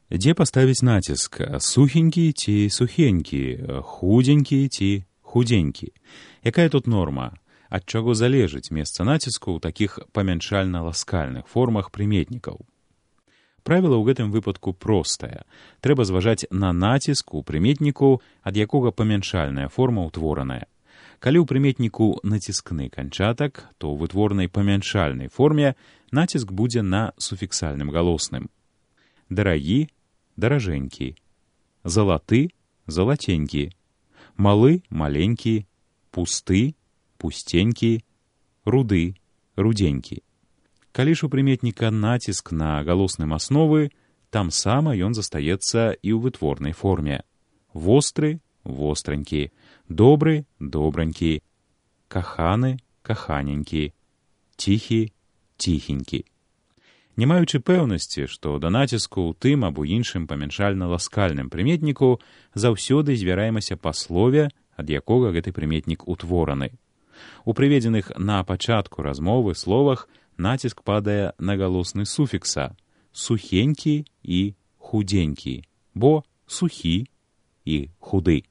Дзе паставіць націск? Сухенькі ці сухенькі, худенькі ці худенькі? Якая тут норма? Ад чаго залежыць месца націску ў такіх памяншальна-ласкальных формах прыметнікаў? Правіла ў гэтым выпадку простае. Трэба зважаць на націск у прыметніку, ад якога памяншальная форма ўтвораная. Калі ў прыметніку націскны канчатак, то ў вытворнай памяншальнай форме націск будзе на суфіксальным галосным. Дарагі — даражэнькі, залаты — залатенькі, малы — маленькі, пусты — пустенькі, руды — руденькі. Калі ж у прыметніка націск на галосным асновы, там сама ён застаецца і ў вытворнай форме. Востры — востранькі, добры — добранькі, каханы — каханенькі, ціхі — ціхенькі. Не маючы пэўнасці, што да націску ў тым або іншым памяншальна-ласкальным прыметніку заўсёды звяраемся па слове, ад якога гэты прыметнік утвораны. У прыведзеных на пачатку размовы словах націск падае на галосны суфікса сухенькі і худенькі, бо сухі і худы.